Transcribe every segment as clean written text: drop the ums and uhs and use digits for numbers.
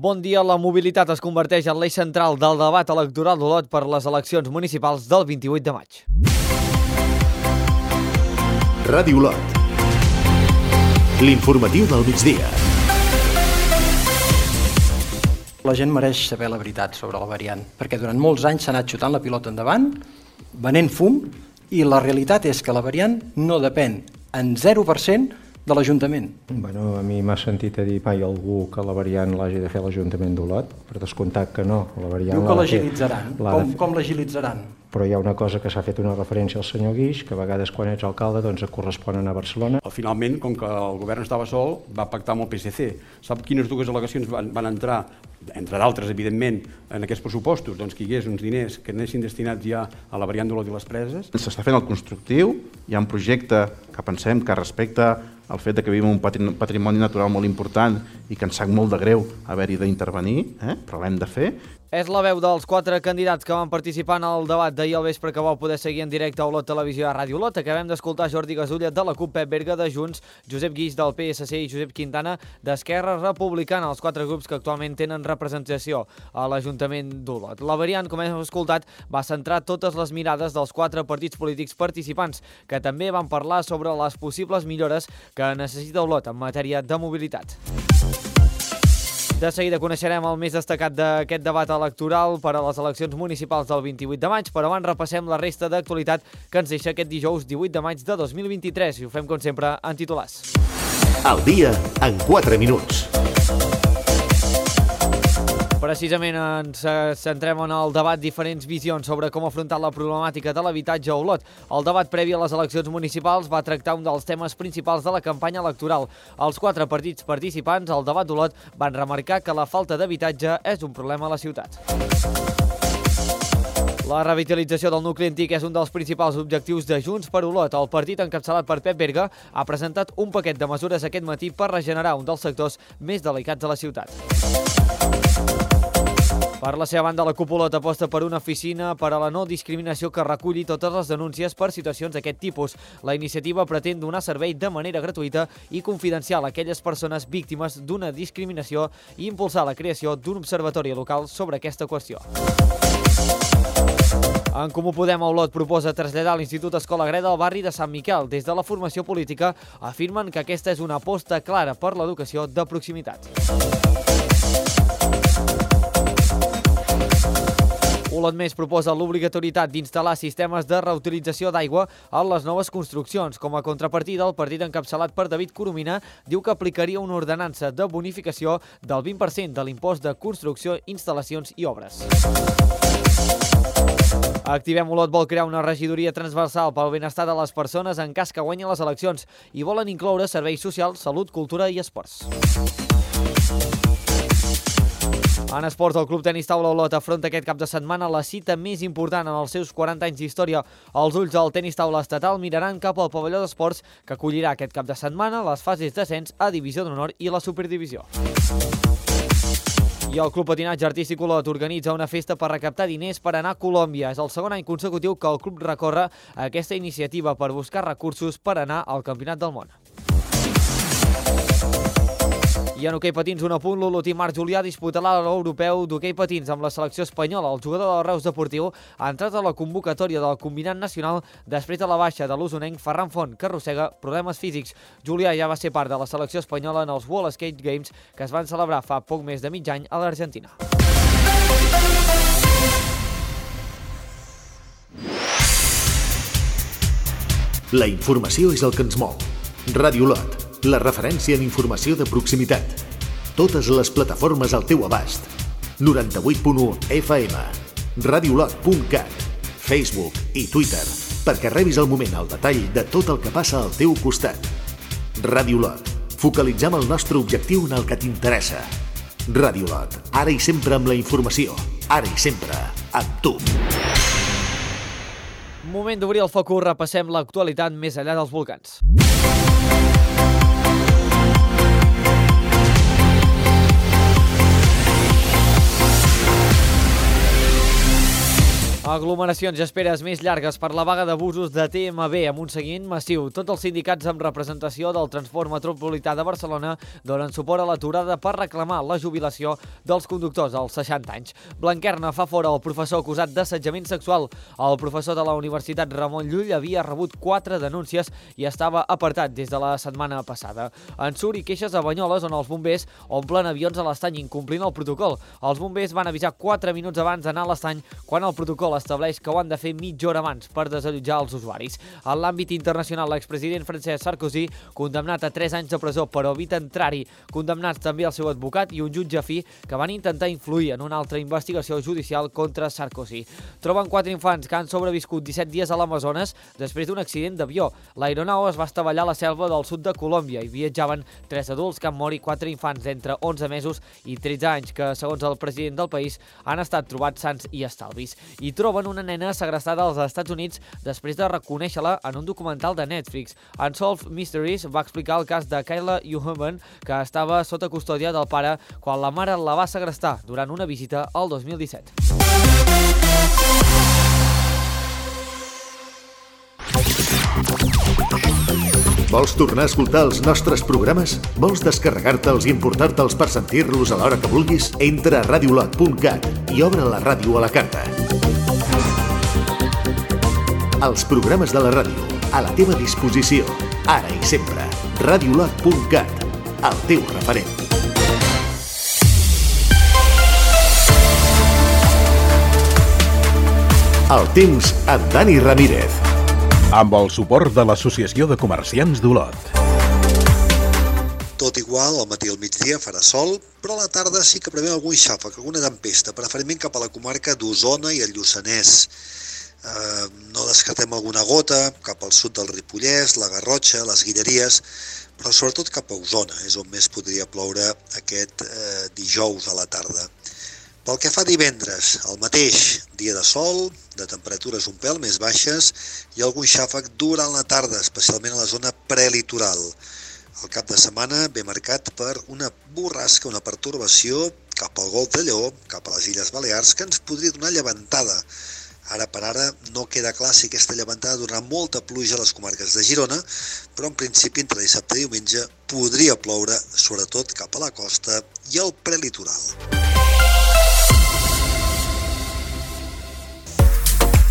Bon dia. La mobilitat es converteix en l'eix central del debat electoral d'Olot per les eleccions municipals del 28 de maig. Ràdio Olot. L'informatiu del migdia. La gent mereix saber la veritat sobre la variant, perquè durant molts anys s'ha anat xutant la pilota endavant, venent fum, i la realitat és que la variant no depèn en 0% de l'Ajuntament. Bueno, a mi m'ha sentit a dir mai algú que la variant l'hagi de fer l'Ajuntament d'Olot, per descomptat que no. La variant Diu que l'agilitzaran. Com l'agilitzaran? Però hi ha una cosa que s'ha fet una referència al senyor Guix, que a vegades quan ets alcalde doncs et correspon anar a Barcelona. Finalment, com que el govern estava sol, va pactar amb el PSC. Sap quines dues al·legacions van entrar, entre d'altres, evidentment, en aquests pressupostos? Doncs que hi hagués uns diners que anessin destinats ja a la variant d'Olot i les Preses. S'està fent el constructiu, hi ha un projecte que pensem que respecta el fet que vivim un patrimoni natural molt important i que ens sap molt de greu haver-hi d'intervenir, però l'hem de fer. És la veu dels 4 candidats que van participar en el debat d'ahir al vespre que vau poder seguir en directe a Olot Televisió i a Ràdio Olot. Acabem d'escoltar Jordi Gasulla de la CUP, Pep Berga de Junts, Josep Guix del PSC i Josep Quintana d'Esquerra Republicana, els 4 grups que actualment tenen representació a l'Ajuntament d'Olot. La variant, com hem escoltat, va centrar totes les mirades dels 4 partits polítics participants, que també van parlar sobre les possibles millores que necessita Olot en matèria de mobilitat. De seguida coneixerem el més destacat d'aquest debat electoral per a les eleccions municipals del 28 de maig, però abans repassem la resta d'actualitat que ens deixa aquest dijous 18 de maig de 2023 i ho fem, com sempre, en titulars. Al dia en 4 minuts. Precisament ens centrem en el debat, diferents visions sobre com afrontar la problemàtica de l'habitatge a Olot. El debat previ a les eleccions municipals va tractar un dels temes principals de la campanya electoral. Els 4 partits participants al debat d'Olot van remarcar que la falta d'habitatge és un problema a la ciutat. La revitalització del nucli antic és un dels principals objectius de Junts per Olot. El partit, encapçalat per Pep Berga, ha presentat un paquet de mesures aquest matí per regenerar un dels sectors més delicats de la ciutat. Per la seva banda, la CUP Olot aposta per una oficina per a la no discriminació que reculli totes les denúncies per situacions d'aquest tipus. La iniciativa pretén donar servei de manera gratuïta i confidencial a aquelles persones víctimes d'una discriminació i impulsar la creació d'un observatori local sobre aquesta qüestió. En Comú Podem a Olot proposa traslladar l'Institut Escola Greda al barri de Sant Miquel. Des de la formació política afirmen que aquesta és una aposta clara per l'educació de proximitat. Olot Més proposa l'obligatorietat d'instal·lar sistemes de reutilització d'aigua a les noves construccions. Com a contrapartida, el partit encapçalat per David Coromina diu que aplicaria una ordenança de bonificació del 20% de l'impost de construcció, instal·lacions i obres. Activem Olot vol crear una regidoria transversal pel benestar de les persones en cas que guanyin les eleccions i volen incloure serveis socials, salut, cultura i esports. En esports, el Club Tenis Taula Olot afronta aquest cap de setmana la cita més important en els seus 40 anys d'història. Els ulls del tenis taula estatal miraran cap al pavelló d'esports que acollirà aquest cap de setmana les fases d'ascens a Divisió d'Honor i la Superdivisió. I el Club Patinatge Artístic Olot organitza una festa per recaptar diners per anar a Colòmbia. És el segon any consecutiu que el club recorre a aquesta iniciativa per buscar recursos per anar al Campionat del Món. I en hoquei patins, un apunt, l'olotí Marc Julià disputarà l'europeu d'hoquei patins amb la selecció espanyola. El jugador del Reus Deportiu ha entrat a la convocatòria del combinat nacional després de la baixa de l'usonenc Ferran Font, que arrossega problemes físics. Julià ja va ser part de la selecció espanyola en els World Skate Games que es van celebrar fa poc més de mig any a l'Argentina. La informació és el que ens mou. Ràdio Olot, la referència en informació de proximitat. Totes les plataformes al teu abast. 98.1 FM, radiolot.cat, Facebook i Twitter, perquè rebis al moment el detall de tot el que passa al teu costat. Ràdio Olot, focalitzem el nostre objectiu en el que t'interessa. Ràdio Olot, ara i sempre amb la informació, ara i sempre amb tu. Moment d'obrir el focus, repassem l'actualitat més enllà dels volcans. Aglomeracions i esperes més llargues per la vaga d'abusos de TMB amb un seguiment massiu. Tots els sindicats amb representació del transport metropolità de Barcelona donen suport a l'aturada per reclamar la jubilació dels conductors als 60 anys. Blanquerna fa fora el professor acusat d'assetjament sexual. El professor de la Universitat Ramon Llull havia rebut 4 denúncies i estava apartat des de la setmana passada. Ensurt i queixes a Banyoles, on els bombers omplen avions a l'estany incomplint el protocol. Els bombers van avisar 4 minuts abans d'anar a l'estany quan el protocol estableix que ho han de fer mitja hora abans per desallotjar els usuaris. En l'àmbit internacional, l'expresident Francesc Sarkozy, condemnat a 3 anys de presó per oblit contrari, condemnats també el seu advocat i un jutge afí que van intentar influir en una altra investigació judicial contra Sarkozy. Troben 4 infants que han sobreviscut 17 dies a l'Amazones després d'un accident d'avió. L'aeronau es va estavellar a la selva del sud de Colòmbia i viatjaven 3 adults que han mort i 4 infants d'entre 11 mesos i 13 anys que, segons el president del país, han estat trobats sans i estalvis. I troben una nena segrestada als Estats Units després de reconèixer-la en un documental de Netflix. Unsolved Mysteries va explicar el cas de Kayla Uhaman, que estava sota custòdia del pare quan la mare la va segrestar durant una visita al 2017. Vols tornar a escoltar els nostres programes? Vols descarregar-te'ls i importar-te'ls per sentir-los a l'hora que vulguis? Entra a radiolot.cat i obre la ràdio a la carta. Els programes de la ràdio, a la teva disposició, ara i sempre. Radiolot.cat, el teu referent. El temps amb Dani Ramírez. Amb el suport de l'Associació de Comerciants d'Olot. Tot igual, al matí i al migdia farà sol, però a la tarda sí que preveu algun xàfec, alguna tempesta, preferentment cap a la comarca d'Osona i el Lluçanès. No descartem alguna gota cap al sud del Ripollès, la Garrotxa, les Guilleries, però sobretot cap a Osona, és on més podria ploure aquest dijous a la tarda. Pel que fa a divendres, el mateix, dia de sol, de temperatures un pèl més baixes i algun xàfec durant la tarda, especialment a la zona prelitoral. El cap de setmana ve marcat per una borrasca, una pertorbació cap al Golf de Lleó, cap a les Illes Balears, que ens podria donar llevantada. Ara per ara no queda clar si aquesta llevantada donarà molta pluja a les comarques de Girona, però en principi entre dissabte i diumenge podria ploure, sobretot cap a la costa i al prelitoral.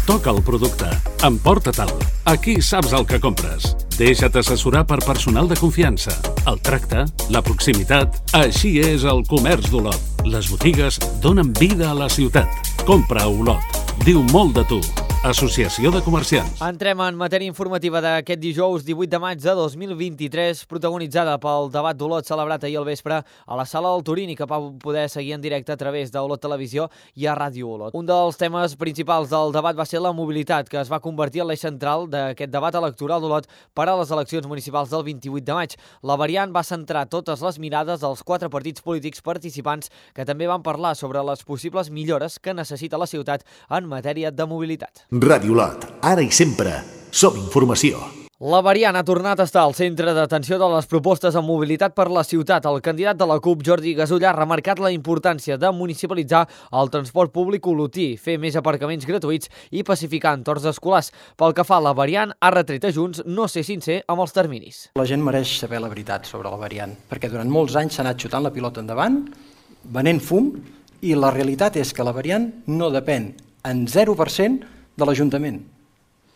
Toca el producte. Emporta-te'l. Aquí saps el que compres. Deixa't assessorar per personal de confiança. El tracte, la proximitat... Així és el comerç d'Olot. Les botigues donen vida a la ciutat. Compra a Olot. Diu molt de tu. Associació de Comerciants. Entrem en matèria informativa d'aquest dijous 18 de maig de 2023, protagonitzada pel debat d'Olot celebrat ahir al vespre a la sala del Turini, que va poder seguir en directe a través d'Olot Televisió i a Ràdio Olot. Un dels temes principals del debat va ser la mobilitat, que es va convertir en l'eix central d'aquest debat electoral d'Olot per a les eleccions municipals del 28 de maig. La variant va centrar totes les mirades dels 4 partits polítics participants, que també van parlar sobre les possibles millores que necessita la ciutat en matèria de mobilitat. Ràdio Olot, ara i sempre, som informació. La variant ha tornat a estar al centre d'atenció de les propostes en mobilitat per la ciutat. El candidat de la CUP, Jordi Gasull, ha remarcat la importància de municipalitzar el transport públic olotí, fer més aparcaments gratuïts i pacificar entorns escolars. Pel que fa a la variant, ha retret a Junts no ser sincer amb els terminis. La gent mereix saber la veritat sobre la variant, perquè durant molts anys s'ha anat xutant la pilota endavant, venent fum, i la realitat és que la variant no depèn en 0% de l'Ajuntament.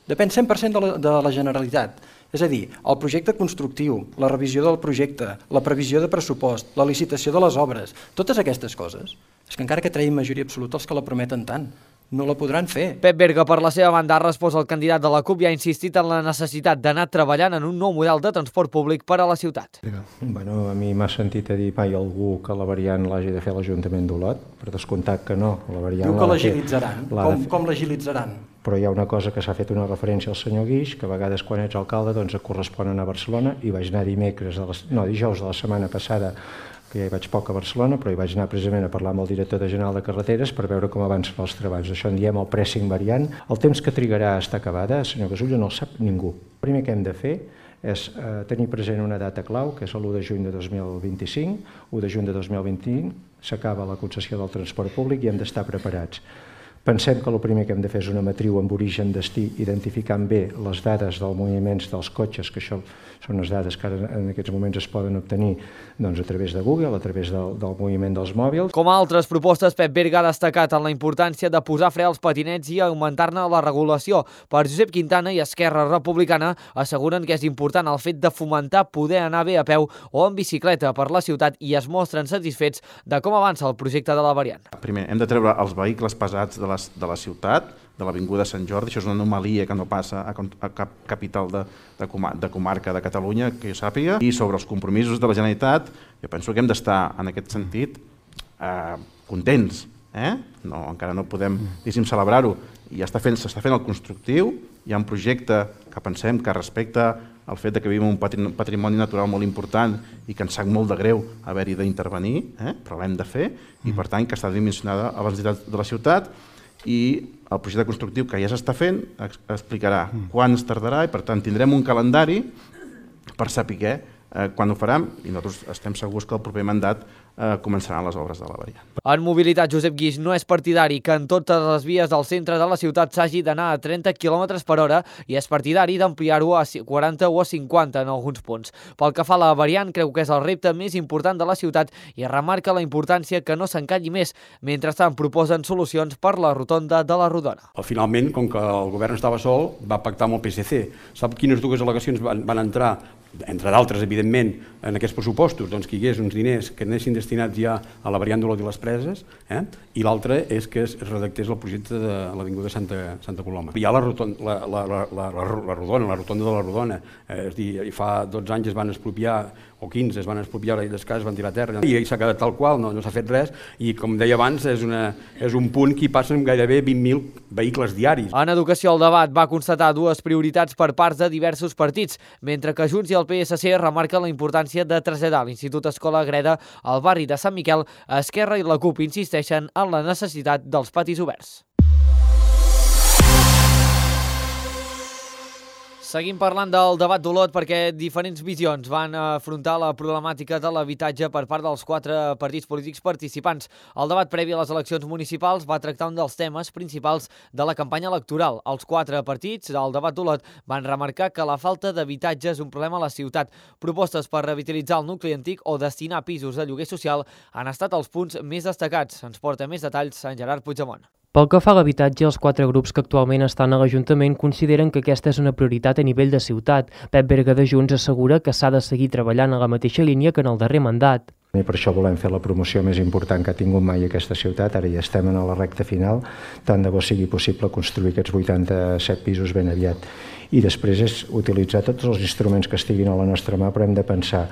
Depèn 100% de la Generalitat. És a dir, el projecte constructiu, la revisió del projecte, la previsió de pressupost, la licitació de les obres, totes aquestes coses, és que encara que treguin majoria absoluta els que la prometen tant, no la podran fer. Pep Berga, per la seva banda, ha respost al candidat de la CUP i ha insistit en la necessitat d'anar treballant en un nou model de transport públic per a la ciutat. Bueno, a mi m'ha sentit a dir mai algú que la variant l'hagi de fer l'Ajuntament d'Olot, per descomptat que no. La variant diu que l'agilitzaran. Com l'agilitzaran? Però hi ha una cosa que s'ha fet una referència al senyor Guix, que a vegades quan ets alcalde doncs et correspon anar a Barcelona, i vaig anar dijous de la setmana passada, que ja hi vaig poc a Barcelona, però hi vaig anar precisament a parlar amb el director general de carreteres per veure com avancen els treballs. Això en diem el pressing variant. El temps que trigarà a estar acabada, senyor Gasull, no el sap ningú. El primer que hem de fer és tenir present una data clau, que és l'1 de juny de 2025, 1 de juny de 2025, s'acaba la concessió del transport públic i hem d'estar preparats. Pensem que el primer que hem de fer és una matriu amb origen-destí, identificant bé les dades dels moviments dels cotxes, que això són les dades que ara en aquests moments es poden obtenir a través de Google, a través del moviment dels mòbils. Com a altres propostes, Pep Berga ha destacat en la importància de posar fre als patinets i augmentar-ne la regulació. Per Josep Quintana i Esquerra Republicana asseguren que és important el fet de fomentar poder anar bé a peu o en bicicleta per la ciutat i es mostren satisfets de com avança el projecte de la variant. Primer, hem de treure els vehicles pesats de la ciutat, de l'Avinguda Sant Jordi. Això és una anomalia que no passa a cap capital de comarca de Catalunya, que jo sàpiga. I sobre els compromisos de la Generalitat, jo penso que hem d'estar en aquest sentit contents. No, encara no podem celebrar-ho. I s'està fent el constructiu, hi ha un projecte que pensem que respecta el fet que vivim un patrimoni natural molt important i que ens sap molt de greu haver-hi d'intervenir, però l'hem de fer, i per tant que està dimensionada a les necessitats de la ciutat, i el projecte constructiu que ja s'està fent explicarà quan es tardarà i per tant tindrem un calendari per saber quan ho farem i nosaltres estem segurs que el proper mandat començaran les obres de la variant. En mobilitat, Josep Guix no és partidari que en totes les vies del centre de la ciutat s'hagi d'anar a 30 km per hora i és partidari d'ampliar-ho a 40 o a 50 en alguns punts. Pel que fa a la variant, creu que és el repte més important de la ciutat i remarca la importància que no s'encalli més. Mentrestant, proposen solucions per la rotonda de la Rodona. Finalment, com que el govern estava sol, va pactar amb el PSC. Sap quines dues al·legacions van entrar, entre d'altres, evidentment, en aquests pressupostos? Doncs que hi hagués uns diners que anessin destinats ja a la variant d'Olot i les Preses, i l'altre és que es redactés el projecte de l'Avinguda Santa Coloma. Hi ha la rotonda de la Rodona, és a dir, fa 12 anys es van expropiar, o 15 es van expropiar i descàs es van tirar a terra, i s'ha quedat tal qual, no s'ha fet res, i com deia abans, és un punt que hi passen gairebé 20.000 vehicles diaris. En educació, el debat va constatar dues prioritats per parts de diversos partits, mentre que Junts i el PSC remarquen la importància de traslladar l'Institut Escola Agreda al barri de Sant Miquel. Esquerra i la CUP insisteixen en la necessitat dels patis oberts. Seguim parlant del debat d'Olot perquè diferents visions van afrontar la problemàtica de l'habitatge per part dels 4 partits polítics participants. El debat previ a les eleccions municipals va tractar un dels temes principals de la campanya electoral. Els 4 partits del debat d'Olot van remarcar que la falta d'habitatge és un problema a la ciutat. Propostes per revitalitzar el nucli antic o destinar pisos de lloguer social han estat els punts més destacats. Ens porta més detalls en Gerard Puigdemont. Pel que fa a l'habitatge, els 4 grups que actualment estan a l'Ajuntament consideren que aquesta és una prioritat a nivell de ciutat. Pep Berga de Junts assegura que s'ha de seguir treballant a la mateixa línia que en el darrer mandat. I per això volem fer la promoció més important que ha tingut mai aquesta ciutat. Ara ja estem en la recta final, tant de bo sigui possible construir aquests 87 pisos ben aviat. I després és utilitzar tots els instruments que estiguin a la nostra mà, però hem de pensar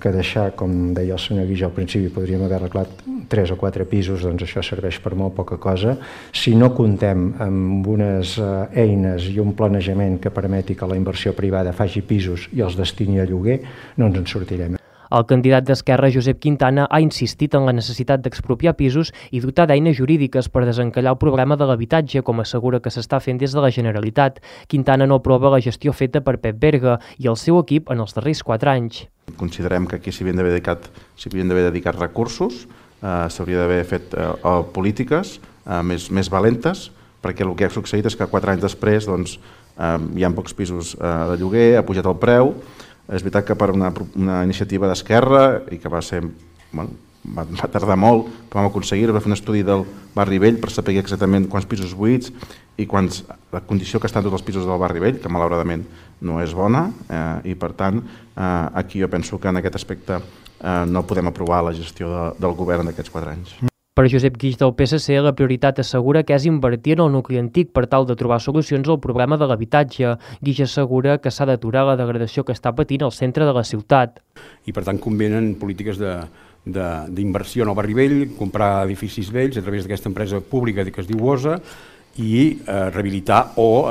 que deixar, com deia el senyor Guix al principi, podríem haver arreglat 3 o 4 pisos, doncs això serveix per molt poca cosa. Si no comptem amb unes eines i un planejament que permeti que la inversió privada faci pisos i els destini a lloguer, no ens en sortirem. El candidat d'Esquerra, Josep Quintana, ha insistit en la necessitat d'expropiar pisos i dotar d'eines jurídiques per desencallar el problema de l'habitatge, com assegura que s'està fent des de la Generalitat. Quintana no aprova la gestió feta per Pep Berga i el seu equip en els darrers 4 anys. Considerem que aquí s'hi havien d'haver dedicat recursos, s'hauria d'haver fet polítiques més valentes, perquè el que ha succeït és que 4 anys després hi ha pocs pisos de lloguer, ha pujat el preu. És veritat que per una iniciativa d'Esquerra i que va tardar molt, però vam aconseguir, va fer un estudi del Barri Vell per saber exactament quants pisos buits i la condició que estan tots els pisos del Barri Vell, que malauradament no és bona, i per tant aquí jo penso que en aquest aspecte no podem aprovar la gestió del govern d'aquests 4 anys. Per Josep Guix del PSC, la prioritat assegura que és invertir en el nucli antic per tal de trobar solucions al problema de l'habitatge. Guix assegura que s'ha d'aturar la degradació que està patint el centre de la ciutat. I per tant convenen polítiques d'inversió en el Barri Vell, comprar edificis vells a través d'aquesta empresa pública que es diu OSA i rehabilitar o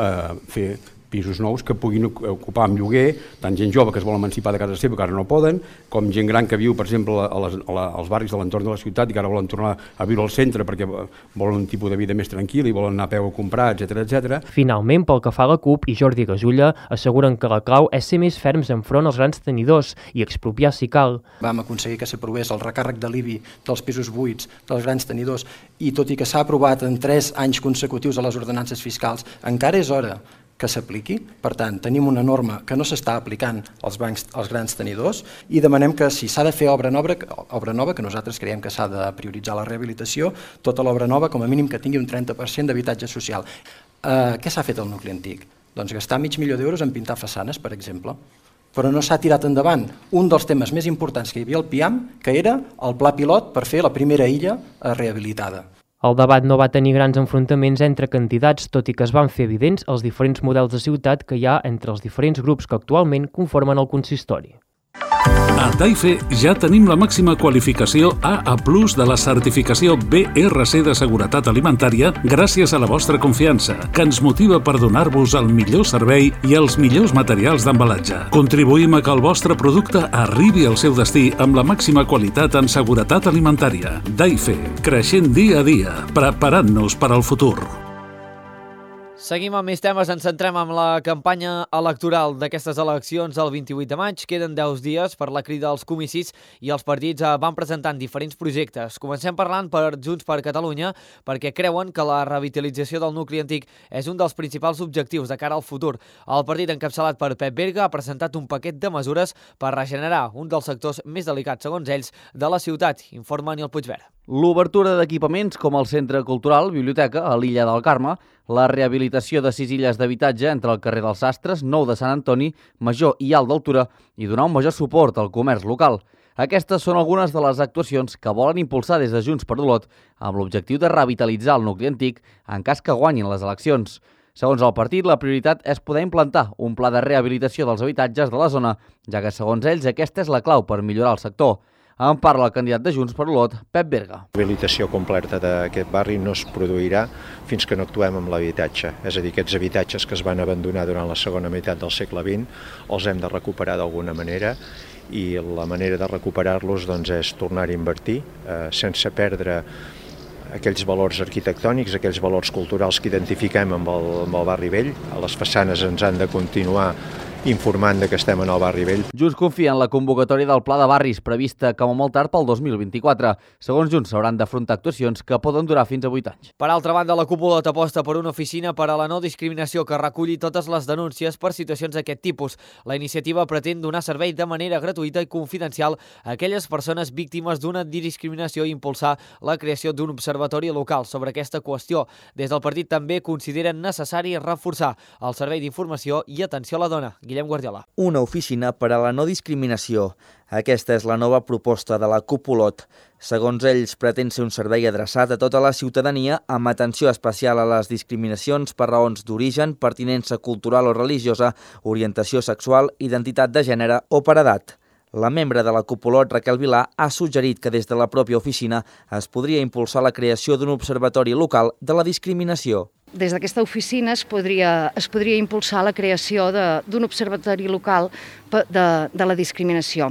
fer pisos nous que puguin ocupar amb lloguer, tant gent jove que es vol emancipar de casa seva, que ara no poden, com gent gran que viu, per exemple, als barris de l'entorn de la ciutat i que ara volen tornar a viure al centre perquè volen un tipus de vida més tranquil i volen anar a peu a comprar, etc. Finalment, pel que fa a la CUP i Jordi Gasulla, asseguren que la clau és ser més ferms enfront als grans tenidors i expropiar si cal. Vam aconseguir que s'aprovés el recàrrec de l'IBI dels pisos buits, dels grans tenidors, i tot i que s'ha aprovat en 3 anys consecutius a les ordenances fiscals, encara és hora que s'apliqui. Per tant, tenim una norma que no s'està aplicant als grans tenidors i demanem que si s'ha de fer obra nova, que nosaltres creiem que s'ha de prioritzar la rehabilitació, tota l'obra nova com a mínim que tingui un 30% d'habitatge social. Què s'ha fet al nucli antic? Doncs gastar $500.000 en pintar façanes, per exemple. Però no s'ha tirat endavant un dels temes més importants que hi havia al PIAM, que era el pla pilot per fer la primera illa rehabilitada. El debat no va tenir grans enfrontaments entre candidats, tot i que es van fer evidents els diferents models de ciutat que hi ha entre els diferents grups que actualment conformen el consistori. A Taife ja tenim la màxima qualificació AA+ de la certificació BRC de seguretat alimentària gràcies a la vostra confiança, que ens motiva per donar-vos el millor servei i els millors materials d'embalatge. Contribuïm a que el vostre producte arribi al seu destí amb la màxima qualitat en seguretat alimentària. Taife, creixent dia a dia, preparant-nos per al futur. Seguim amb més temes, ens centrem en la campanya electoral d'aquestes eleccions el 28 de maig. Queden 10 dies per la crida als comicis i els partits van presentant diferents projectes. Comencem parlant per Junts per Catalunya perquè creuen que la revitalització del nucli antic és un dels principals objectius de cara al futur. El partit encapçalat per Pep Berga ha presentat un paquet de mesures per regenerar un dels sectors més delicats, segons ells, de la ciutat, informa Nil Puigverd. L'obertura d'equipaments com el Centre Cultural, Biblioteca, a l'illa del Carme, la rehabilitació de 6 illes d'habitatge entre el carrer dels Sastres, Nou de Sant Antoni, Major i Alt d'Altura i donar un major suport al comerç local. Aquestes són algunes de les actuacions que volen impulsar des de Junts per Olot amb l'objectiu de revitalitzar el nucli antic en cas que guanyin les eleccions. Segons el partit, la prioritat és poder implantar un pla de rehabilitació dels habitatges de la zona, ja que, segons ells, aquesta és la clau per millorar el sector. En parla el candidat de Junts per Olot, Pep Berga. La rehabilitació completa d'aquest barri no es produirà fins que no actuem amb l'habitatge. És a dir, aquests habitatges que es van abandonar durant la segona meitat del segle XX els hem de recuperar d'alguna manera i la manera de recuperar-los és tornar a invertir sense perdre aquells valors arquitectònics, aquells valors culturals que identifiquem amb el barri vell. A les façanes ens han de continuar informant que estem en el barri vell. Junts confia en la convocatòria del Pla de Barris prevista com a molt tard pel 2024. Segons Junts, s'hauran d'afrontar actuacions que poden durar fins a 8 anys. Per altra banda, la cúpula aposta per una oficina per a la no discriminació que reculli totes les denúncies per situacions d'aquest tipus. La iniciativa pretén donar servei de manera gratuïta i confidencial a aquelles persones víctimes d'una discriminació i impulsar la creació d'un observatori local sobre aquesta qüestió. Des del partit també consideren necessari reforçar el servei d'informació i atenció a la dona. Guillem Guardiola. Una oficina per a la no discriminació. Aquesta és la nova proposta de la CUP Olot. Segons ells, pretén ser un servei adreçat a tota la ciutadania amb atenció especial a les discriminacions per raons d'origen, pertinença cultural o religiosa, orientació sexual, identitat de gènere o per edat. La membre de la CUP Olot, Raquel Vilà, ha suggerit que des de la pròpia oficina es podria impulsar la creació d'un observatori local de la discriminació. Des d'aquesta oficina es podria impulsar la creació d'un observatori local de la discriminació.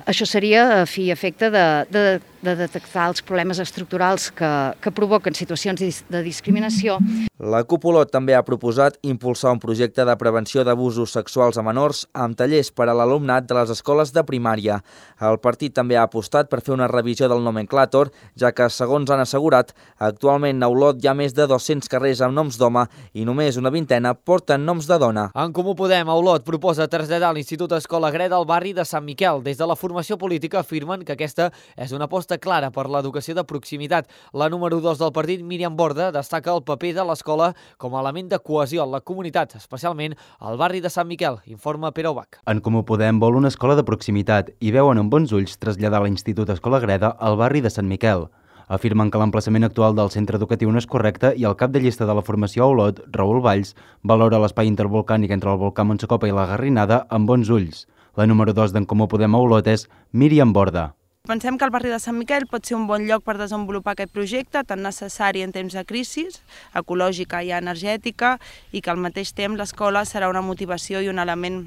Això seria a fi i efecte de detectar els problemes estructurals que provoquen situacions de discriminació. La CUP Olot també ha proposat impulsar un projecte de prevenció d'abusos sexuals a menors amb tallers per a l'alumnat de les escoles de primària. El partit també ha apostat per fer una revisió del nomenclàtor, ja que, segons han assegurat, actualment a Olot hi ha més de 200 carrers amb noms d'home i només una vintena porten noms de dona. En Comú Podem, a Olot, proposa traslladar l'Institut Escola Greda al barri de Sant Miquel. Des de la formació política afirmen que aquesta és una aposta clara per l'educació de proximitat. La número 2 del partit, Míriam Borda, destaca el paper de l'escola com a element de cohesió en la comunitat, especialment al barri de Sant Miquel, informa Pere Ubach. En Comú Podem vol una escola de proximitat i veuen amb bons ulls traslladar l'Institut Escola Greda al barri de Sant Miquel. Afirmen que l'emplaçament actual del centre educatiu no és correcte i el cap de llista de la formació a Olot, Raül Valls, valora l'espai intervolcànic entre el volcà Montsecopa i la Garrinada amb bons ulls. La número 2 d'en Comú Podem a Olot és Míriam Borda. Pensem que el barri de Sant Miquel pot ser un bon lloc per desenvolupar aquest projecte, tan necessari en temps de crisi ecològica i energètica, i que al mateix temps l'escola serà una motivació i un element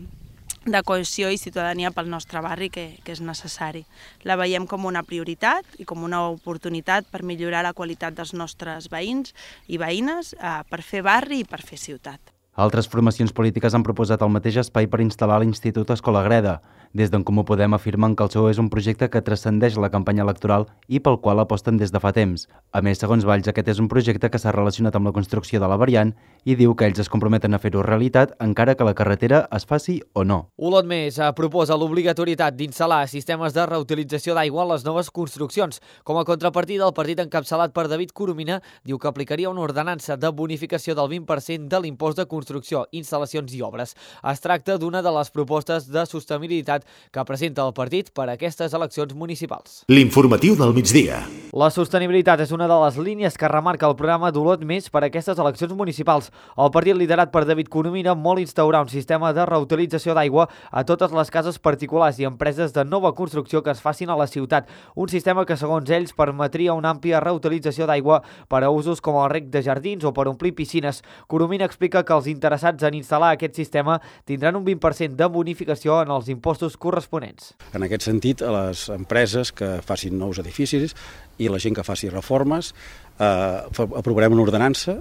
de cohesió i ciutadania pel nostre barri que és necessari. La veiem com una prioritat i com una oportunitat per millorar la qualitat dels nostres veïns i veïnes, per fer barri i per fer ciutat. Altres formacions polítiques han proposat el mateix espai per instal·lar l'Institut Escola Greda. Des d'en Comú Podem afirmen que el seu és un projecte que transcendeix la campanya electoral i pel qual aposten des de fa temps. A més, segons Valls, aquest és un projecte que s'ha relacionat amb la construcció de la variant i diu que ells es comprometen a fer-ho realitat encara que la carretera es faci o no. Olot Més proposa l'obligatorietat d'instal·lar sistemes de reutilització d'aigua a les noves construccions. Com a contrapartida, el partit encapçalat per David Coromina diu que aplicaria una ordenança de bonificació del 20% de l'impost de construcció, instal·lacions i obres. Es tracta d'una de les propostes de sostenibilitat que presenta el partit per a aquestes eleccions municipals. L'informatiu del migdia. La sostenibilitat és una de les línies que remarca el programa d'Olot Més per a aquestes eleccions municipals. El partit liderat per David Coromina vol instaurar un sistema de reutilització d'aigua a totes les cases particulars i empreses de nova construcció que es facin a la ciutat. Un sistema que, segons ells, permetria una àmplia reutilització d'aigua per a usos com el reg de jardins o per omplir piscines. Coromina explica que els interessats en instal·lar aquest sistema tindran un 20% de bonificació en els impostos corresponents. En aquest sentit, a les empreses que facin nous edificis i la gent que faci reformes, aprovarem una ordenança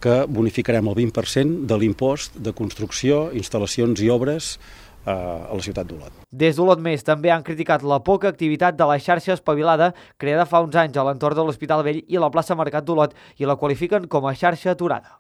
que bonificarem el 20% de l'impost de construcció, instal·lacions i obres a la ciutat d'Olot. Des d'Olot Més també han criticat la poca activitat de la xarxa espavilada creada fa uns anys a l'entorn de l'Hospital Vell i la plaça Mercat d'Olot i la qualifiquen com a xarxa aturada.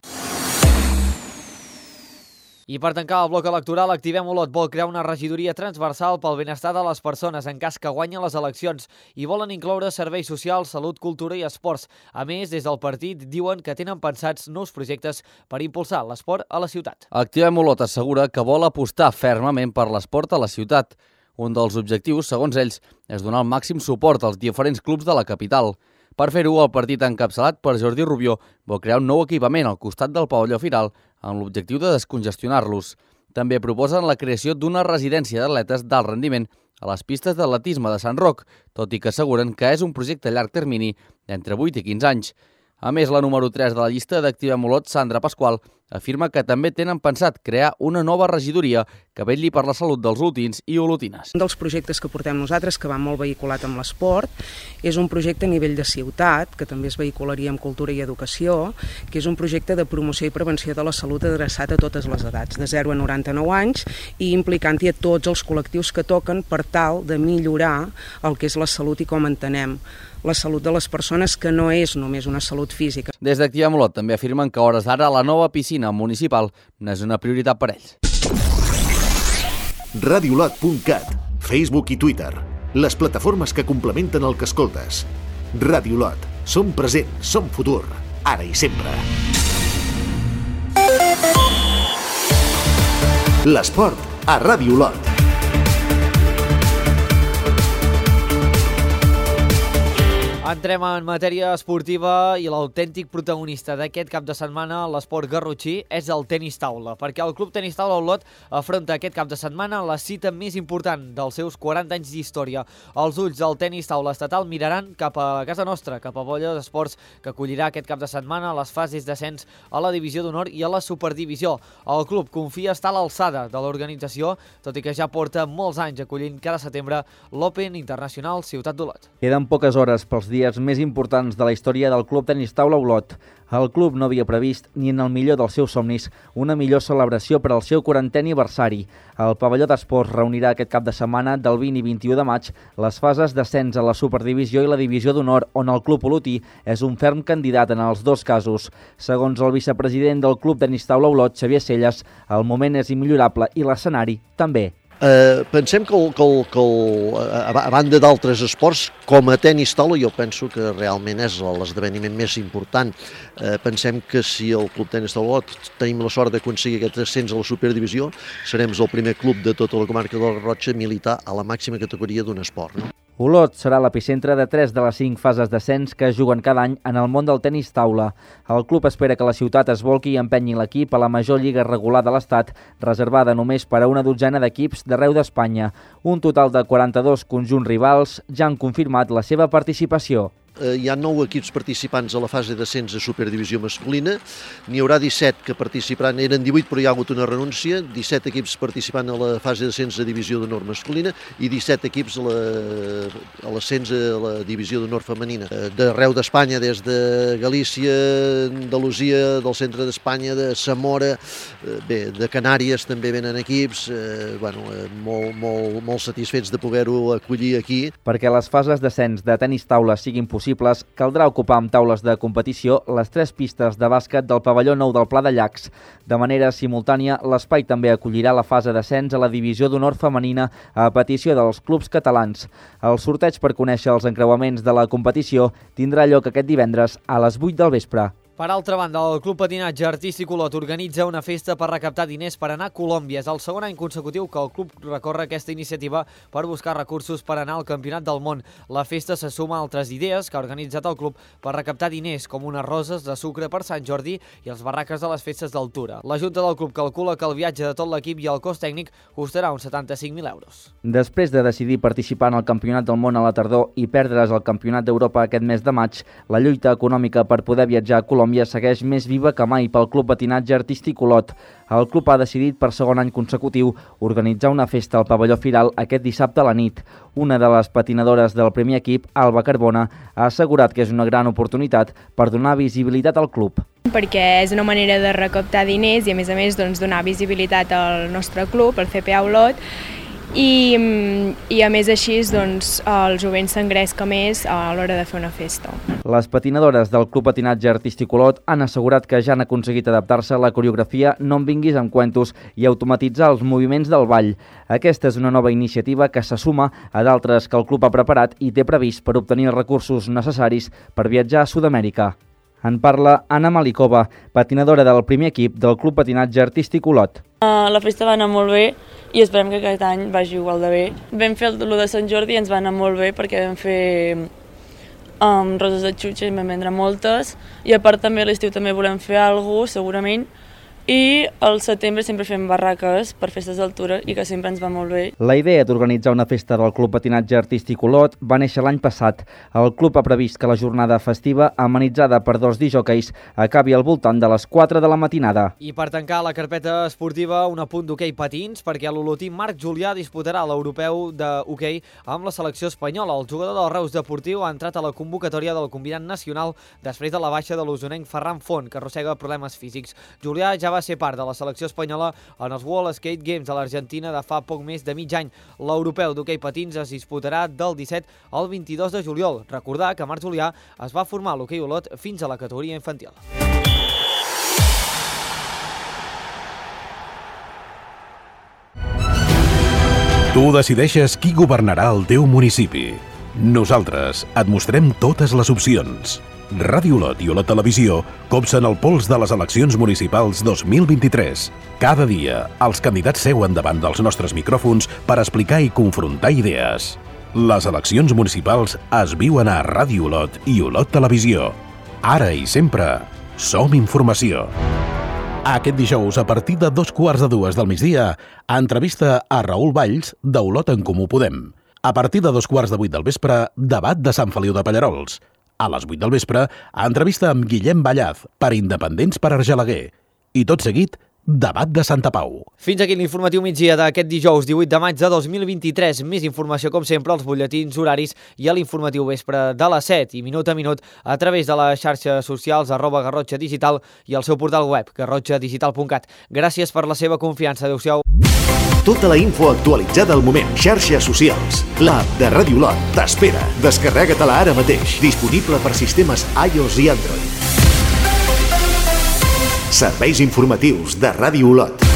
I per tancar el bloc electoral, Activem Olot vol crear una regidoria transversal pel benestar de les persones en cas que guanyin les eleccions i volen incloure serveis socials, salut, cultura i esports. A més, des del partit diuen que tenen pensats nous projectes per impulsar l'esport a la ciutat. Activem Olot assegura que vol apostar fermament per l'esport a la ciutat. Un dels objectius, segons ells, és donar el màxim suport als diferents clubs de la capital. Per fer-ho, el partit encapçalat per Jordi Rubió vol crear un nou equipament al costat del pavelló Firal amb l'objectiu de descongestionar-los. També proposen la creació d'una residència d'atletes d'alt rendiment a les pistes d'atletisme de Sant Roc, tot i que asseguren que és un projecte a llarg termini d'entre 8 i 15 anys. A més, la número 3 de la llista d'Activem Olot, Sandra Pasqual, afirma que també tenen pensat crear una nova regidoria que vetlli per la salut dels olotins i olotines. Un dels projectes que portem nosaltres, que va molt vehiculat amb l'esport, és un projecte a nivell de ciutat, que també es vehicularia amb cultura i educació, que és un projecte de promoció i prevenció de la salut adreçat a totes les edats, de 0 a 99 anys, i implicant-hi a tots els col·lectius que toquen per tal de millorar el que és la salut i com entenem la salut de les persones, que no és només una salut física. Des d'Activem Olot també afirmen que a hores d'ara la nova piscina municipal no és una prioritat per ells. Radiolot.cat, Facebook i Twitter, les plataformes que complementen el que escoltes. Radiolot, som present, som futur, ara i sempre. L'esport a Radiolot. Entrem en matèria esportiva i l'autèntic protagonista d'aquest cap de setmana a l'esport garrotxí és el tenis taula, perquè el Club Tenis Taula Olot afronta aquest cap de setmana la cita més important dels seus 40 anys d'història. Els ulls del tenis taula estatal miraran cap a casa nostra, cap a Bolla d'Esports, que acollirà aquest cap de setmana les fases d'ascens a la divisió d'honor i a la superdivisió. El club confia estar a l'alçada de l'organització, tot i que ja porta molts anys acollint cada setembre l'Open Internacional Ciutat d'Olot. Queden poques hores pels dies més importants de la història del Club Tenis Taula Olot. El club no havia previst, ni en el millor dels seus somnis, una millor celebració per al seu 40è aniversari. El pavelló d'esports reunirà aquest cap de setmana del 20 i 21 de maig les fases d'ascens a la superdivisió i la divisió d'honor, on el club olotí és un ferm candidat en els dos casos. Segons el vicepresident del Club Tenis Taula Olot, Xavier Celles, el moment és immillorable i l'escenari també. Pensem que a banda d'altres esports, com a tenis taula, jo penso que realment és l'esdeveniment més important. Pensem que si el Club Tenis Taula Olot tenim la sort d'aconseguir aquest ascens a la superdivisió, serem el primer club de tota la comarca de la Garrotxa a militar a la màxima categoria d'un esport, no? Olot serà l'epicentre de 3 de les 5 fases d'ascens que es juguen cada any en el món del tenis taula. El club espera que la ciutat es volqui i empenyi l'equip a la major lliga regular de l'Estat, reservada només per a una dotzena d'equips d'arreu d'Espanya. Un total de 42 conjunts rivals ja han confirmat la seva participació. Hi ha 9 equips participants a la fase d'ascens de Superdivisió masculina, n'hi haurà 17 que participaran, eren 18 però hi ha hagut una renúncia, 17 equips participant a la fase d'ascens de Divisió d'Honor masculina i 17 equips a l'ascens a la Divisió d'Honor femenina. D'arreu d'Espanya, des de Galícia, Andalusia, del centre d'Espanya, de Zamora, bé, de Canàries també venen equips, molt satisfets de poder-ho acollir aquí. Perquè les fases d'ascens de tenis taula siguin possibles, caldrà ocupar amb taules de competició les 3 pistes de bàsquet del pavelló nou del Pla de Llacs. De manera simultània, l'espai també acollirà la fase d'ascens a la Divisió d'Honor femenina a petició dels clubs catalans. El sorteig per conèixer els encreuaments de la competició tindrà lloc aquest divendres a les 8 del vespre. Per altra banda, el Club Patinatge Artístic Olot organitza una festa per recaptar diners per anar a Colòmbia. És el segon any consecutiu que el club recorre aquesta iniciativa per buscar recursos per anar al Campionat del Món. La festa se suma a altres idees que ha organitzat el club per recaptar diners, com unes roses de sucre per Sant Jordi i els barraques de les festes d'altura. La Junta del club calcula que el viatge de tot l'equip i el cost tècnic costarà uns 75.000 euros. Després de decidir participar en el Campionat del Món a la tardor i perdre's el Campionat d'Europa aquest mes de maig, la lluita econòmica per poder viatjar a Colòmbia segueix més viva que mai pel Club Patinatge Artístic Olot. El club ha decidit per segon any consecutiu organitzar una festa al pavelló Firal aquest dissabte a la nit. Una de les patinadores del primer equip, Alba Carbona, ha assegurat que és una gran oportunitat per donar visibilitat al club. Perquè és una manera de recaptar diners i a més donar visibilitat al nostre club, al CPA Olot, i a més així el jovent s'engresca més a l'hora de fer una festa. Les patinadores del Club Patinatge Artístic Olot han assegurat que ja han aconseguit adaptar-se a la coreografia No em vinguis amb cuentos i automatitzar els moviments del ball. Aquesta és una nova iniciativa que se suma a d'altres que el club ha preparat i té previst per obtenir els recursos necessaris per viatjar a Sud-amèrica. En parla Anna Malikova, patinadora del primer equip del Club Patinatge Artístic Olot. La festa va anar molt bé i esperem que aquest any vagi igual de bé. Vam fer el de Sant Jordi i ens va anar molt bé perquè vam fer roses de xutxa i vam vendre moltes i a part també a l'estiu també volem fer alguna cosa, segurament. I al setembre sempre fem barraques per festes d'altura i que sempre ens va molt bé. La idea d'organitzar una festa del Club Patinatge Artístic Olot va néixer l'any passat. El club ha previst que la jornada festiva, amenitzada per 2 disjòqueis, acabi al voltant de les 4 de la matinada. I per tancar la carpeta esportiva, un apunt d'hoquei patins, perquè l'olotí Marc Julià disputarà l'europeu d'hoquei amb la selecció espanyola. El jugador del Reus Deportiu ha entrat a la convocatòria del combinat nacional després de la baixa de l'usonenc Ferran Font, que arrossega problemes físics. Julià ja va ser part de la selecció espanyola en els World Skate Games de l'Argentina de fa poc més de mig any. L'europeu d'hoquei patins es disputarà del 17 al 22 de juliol. Recordar que Marc Julià es va formar a l'hoquei Olot fins a la categoria infantil. Tu decideixes qui governarà el teu municipi. Nosaltres et mostrem totes les opcions. Ràdio Olot i Olot Televisió copsen el pols de les eleccions municipals 2023. Cada dia, els candidats seuen davant dels nostres micròfons per explicar i confrontar idees. Les eleccions municipals es viuen a Ràdio Olot i Olot Televisió. Ara i sempre, som informació. Aquest dijous, a partir de 2:45 del migdia, entrevista a Raül Valls, d'Olot en Comú Podem. A partir de 2:15 del vespre, debat de Sant Feliu de Pallerols. A les 8 del vespre, entrevista amb Guillem Ballaz, per Independents per Argelaguer. I tot seguit, debat de Santa Pau. Fins aquí l'informatiu migdia d'aquest dijous 18 de maig de 2023. Més informació, com sempre, als butlletins horaris i a l'informatiu vespre de les 7 i minut a minut a través de les xarxes socials @Garrotxa Digital i el seu portal web, garrotxadigital.cat. Gràcies per la seva confiança. Adéu-siau. Tota la info actualitzada al moment. Xarxes socials. L'app de Ràdio Olot t'espera. Descarrega-te-la ara mateix. Disponible per sistemes iOS i Android. Serveis informatius de Ràdio Olot.